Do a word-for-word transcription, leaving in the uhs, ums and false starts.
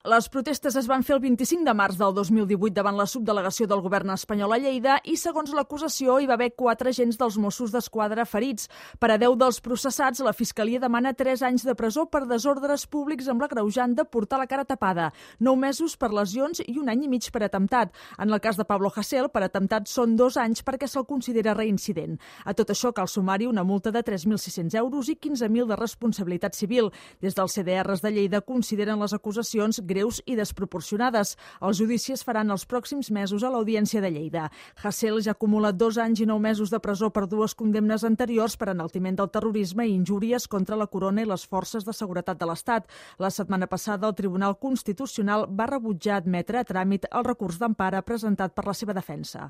Les protestes es van fer el vint-i-cinc de març del dos mil divuit davant la subdelegació del govern espanyol a Lleida i, segons l'acusació, hi va haver quatre agents dels Mossos d'Esquadra ferits. Per a deu dels processats, la Fiscalia demana tres anys de presó per desordres públics amb l'agreujant de portar la cara tapada, nou mesos per lesions i un any i mig per atemptat. En el cas de Pablo Hasél, per atemptat són dos anys perquè se'l considera reincident. A tot això cal sumar-hi una multa de tres mil sis-cents euros i quinze mil de responsabilitat civil. Des dels C D Rs de Lleida consideren les acusacions greus i desproporcionades. Els judicis faran els pròxims mesos a l'Audiència de Lleida. Hasél ja acumula dos anys i nou mesos de presó per dues condemnes anteriors per enaltiment del terrorisme i injúries contra la corona i les forces de seguretat de l'Estat. La setmana passada, el Tribunal Constitucional va rebutjar admetre a tràmit el recurs d'empara presentat per la seva defensa.